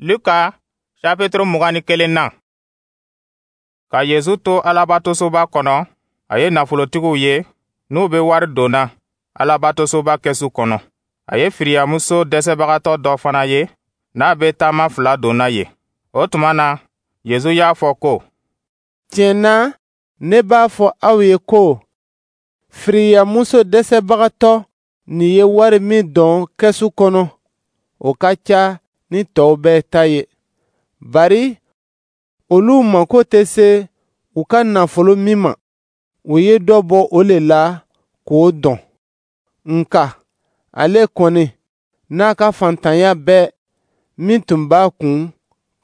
Luka chapitre 21. Ka Yezu to Alabatosoba kɔnɔ, a ye nafolotigiw ye, n'u bɛ wari donna Alabatosoba kɛsu kɔnɔ. A ye firiyamuso dɛsɛbagatɔ dɔ fana ye, n'a bɛ taama fila donna yen. O tuma na, Yezu y'a fɔ ko: Tiɲɛ na, ne b'a fɔ aw ye ko firiyamuso dɛsɛbagatɔ nin ye wari min don kɛsu kɔnɔ, o ka ca ni tɔw bɛɛ ta ye. Bari olu mako tɛ se u ka nafolo min ma, u ye dɔ bɔ o le la k'o dɔn. Nka ale kɔni, n'a ka fantanya bɛɛ min tun b'a kun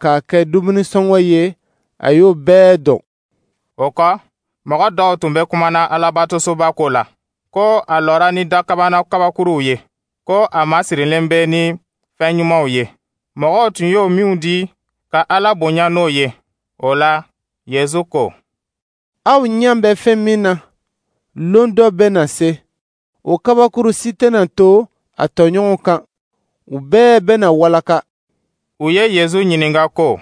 k'a kɛ dumunisɔngɔ ye, a y'o bɛɛ dɔn. O kɔ, mɔgɔ dɔw tun bɛ kumana Alabatosoba ko la, ko a lɔra ni dakabana kabakuruw ye, ko a masirilen bɛ ni fɛn ɲumanw ye. Mɔgɔw tun y'o minw di ka Ala bonya n'o ye. O la, Yezu ko: Aw ɲɛ bɛ fɛn min na, lon dɔ bɛ na se, o kabakuru si tɛna to a tɔɲɔgɔnw kan, u bɛɛ bɛna walaka. U ye Yezu ɲininka ko: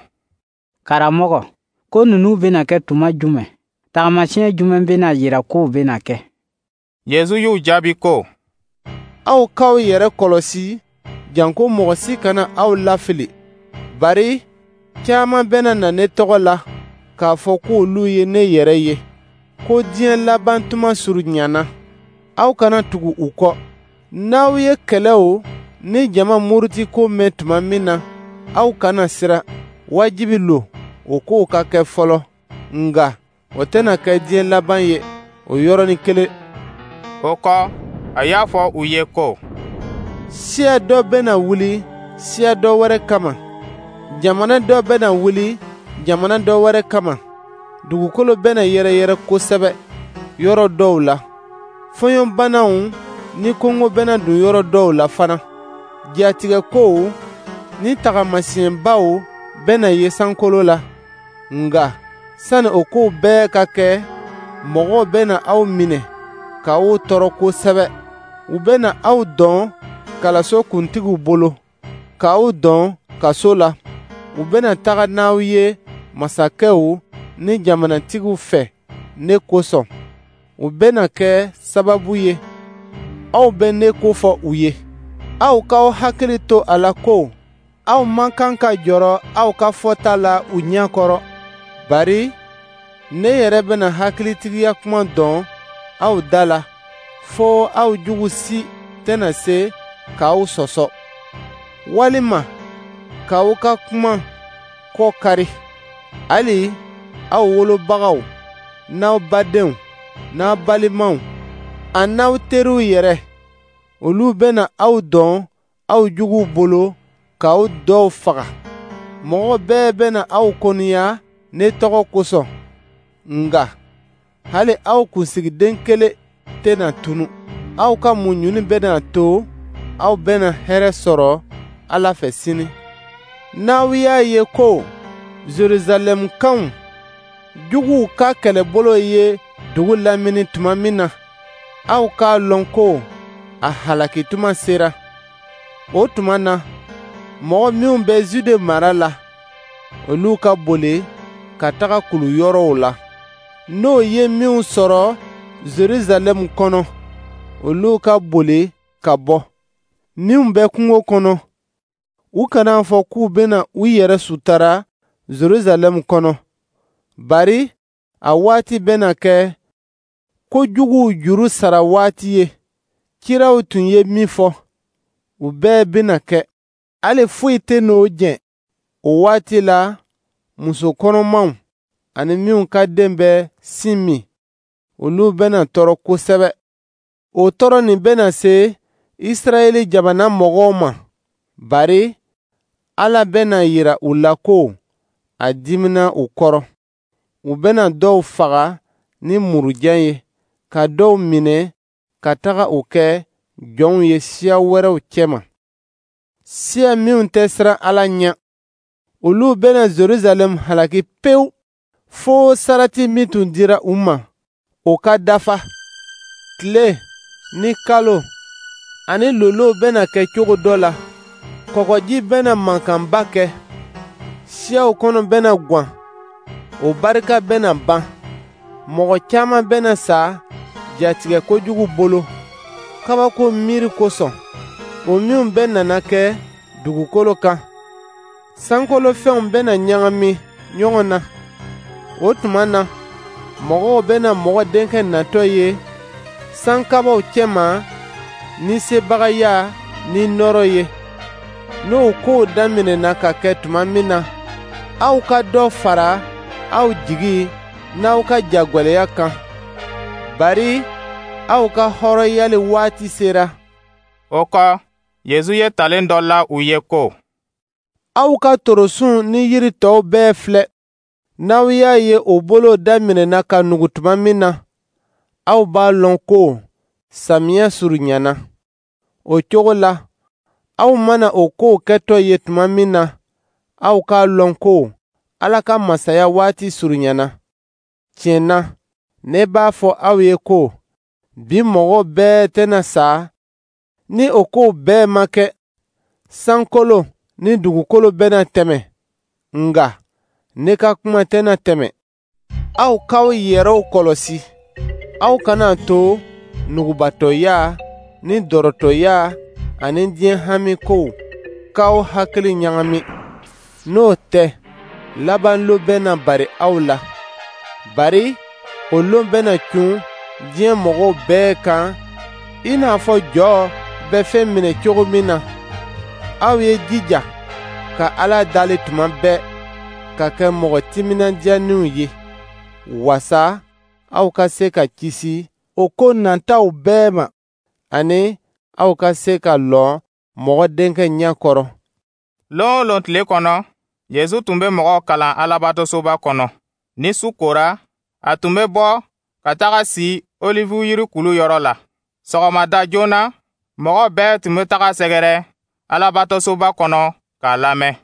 Karamɔgɔ, ko ninnu bɛna kɛ tuma jumɛn? Tagamasiyɛn jumɛn bɛna yira k'o bɛna kɛ? Yezu y'u jaabi ko: Aw k'aw yɛrɛ kɔlɔsi, janko mɔgɔ si kana aw lafili. Bari caman bɛna na ne tɔgɔ la k'a fɔ k'olu ye ne yɛrɛ ye, ko diɲɛ laban tuma surunyana. Aw kana tugu u kɔ. N'aw ye kɛlɛw ni jama muruti ko mɛn tuma min na, aw kana siran. Wajibi lo o kow ka kɛ fɔlɔ, nka o tɛna kɛ diɲɛ laban ye o yɔrɔnin kelen. O kɔ, a y'a fɔ u ye ko: Siya dɔ bɛna wuli siya dɔ wɛrɛ kama, jamana dɔ bɛna wuli jamana dɔ wɛrɛ kama. Dugukolo bɛna yɛrɛyɛrɛ kosɛbɛ yɔrɔ dɔw la. Fɔɲɔbanaw ni kɔngɔ bɛna don yɔrɔ dɔw la fana. Jatigɛkow ni tagamasiyɛnbaw bɛna ye sankolo la. Nka sani o kow bɛɛ ka kɛ, mɔgɔw bɛna aw minɛ k'aw tɔɔrɔ kosɛbɛ. U bɛna aw dɔn kalaso kuntigiw bolo, k'aw dɔn kaso la. U bɛna taga n'aw ye masakɛw ni jamanatigiw fɛ ne kosɔn. U bɛna kɛ sababu ye aw bɛ ne kofɔ u ye. Aw k'aw hakili to a la ko aw man kan ka jɔrɔ aw ka fɔta la u ɲɛ kɔrɔ. Bari ne yɛrɛ bɛna hakilitigiya kuma dɔn aw da la, fo aw jugu si tɛna se k'aw sɔsɔ, walima k'aw ka kuma kɔ kari. Hali aw wolobagaw n'aw badenw n'aw balimaw a n'aw teriw yɛrɛ, olu bɛna aw dɔn aw juguw bolo k'aw dɔw faga. Mɔgɔ bɛɛ bɛna aw kɔniya ne tɔgɔ kosɔn, nka hali aw kunsigiden kelen tɛna tunu. Aw ka muɲuni bɛna to aw bɛna hɛrɛ sɔrɔ Ala fɛ sini. N'aw y'a ye ko Jerusalɛmkaw juguw ka kɛlɛbolo ye dugu lamini tuma min na, aw k'a lɔn ko a halaki tuma sera. O tuma na, mɔgɔ minw bɛ Zude mara la, olu ka boli ka taga kulu yɔrɔw la. N'o ye minw sɔrɔ Jerusalɛmu kɔnɔ, olu ka boli ka bɔ. Minw bɛ kungo kɔnɔ, u kana fɔ k'u bɛna u yɛrɛ sutara Jerusalɛmu kɔnɔ. Bari a waati bɛna kɛ ko juguw juru sara waati ye. Kiraw tun ye min fɔ, u bɛɛ bɛna kɛ. Hali foyi tɛ n'o jɛ. O waati la, muso kɔnɔmaw ani minw ka den bɛ sin min, olu bɛna tɔɔrɔ kosɛbɛ. O tɔɔrɔ nin bɛna se Israɛl jamana mɔgɔw ma, bari Ala bɛna yira u la ko a dimina u kɔrɔ. U bɛna dɔw faga ni murujan ye, ka dɔw minɛ ka taga u kɛ jɔnw ye siya wɛrɛw cɛma. Siya minw tɛ siran Ala ɲɛ, olu bɛna Jerusalɛm halaki pewu, fo sarati min tun dira u ma, o ka dafa. Tile ni kalo ani lolow bɛna kɛ cogo dɔ la, kɔgɔji bɛna mankanba kɛ. Siyaw kɔnɔ bɛna gwan, o barika bɛna ban. Mɔgɔ caman bɛna sa jatigɛ kojugu bolo, kabako miiri kosɔn, o minw bɛɛ nana kɛ dugukolo kan. Sankolo fɛnw bɛna ɲagami ɲɔgɔn na. O tuma na, mɔgɔw bɛna Mɔgɔ Denkɛ natɔ ye sankabaw cɛma ni sebagaya ni nɔɔrɔ ye. N'o kow daminɛna ka kɛ tuma min na, aw ka dɔ fara aw jigi n'aw ka jagwɛlɛya kan, bari aw ka hɔrɔnyali waati sera. O kɔ, Yezu ye talen dɔ la u ye ko: Aw ka torosun ni yiri tɔw bɛɛ filɛ. N'aw y'a ye o bolo daminɛna ka nugu tuma min na, aw b'a lɔn ko samiyɛ surunyana. O cogo la, aw mana o kow kɛtɔ ye tuma min na, aw k'a lɔn ko Ala ka masaya waati surunyana. Tiɲɛ na, ne b'a fɔ aw ye ko bi mɔgɔ bɛɛ tɛna sa ni o kow bɛɛ ma kɛ. Sankolo ni dugukolo bɛna tɛmɛ, nka ne ka kuma tɛna tɛmɛ. Aw k'aw yɛrɛw kɔlɔsi, aw kana to nugubatɔya ni dɔrɔtɔya ani diɲɛ hami kow k'aw hakili ɲagami. N'o tɛ, laban lon bɛna bari aw la. Bari o lon bɛna cun diɲɛ mɔgɔw bɛɛ kan i n'a fɔ jɔ bɛ fɛn minɛ cogo min na. Aw ye jija ka Ala dali tuma bɛɛ, ka kɛ mɔgɔ timinandiyaninw ye, wasa aw ka se ka kisi o ko nataw bɛɛ ma, ani aw ka se ka lɔ Mɔgɔ Denkɛ ɲɛ kɔrɔ. Lon o lon tile kɔnɔ, Yezu tun bɛ mɔgɔw kalan Alabatosoba kɔnɔ. Ni su kora, a tun bɛ bɔ ka taga si olive yiri kulu yɔrɔ la. Sɔgɔmada joona, mɔgɔ bɛɛ tun bɛ taga sɛgɛrɛ Alabatosoba kɔnɔ k'a lamɛn.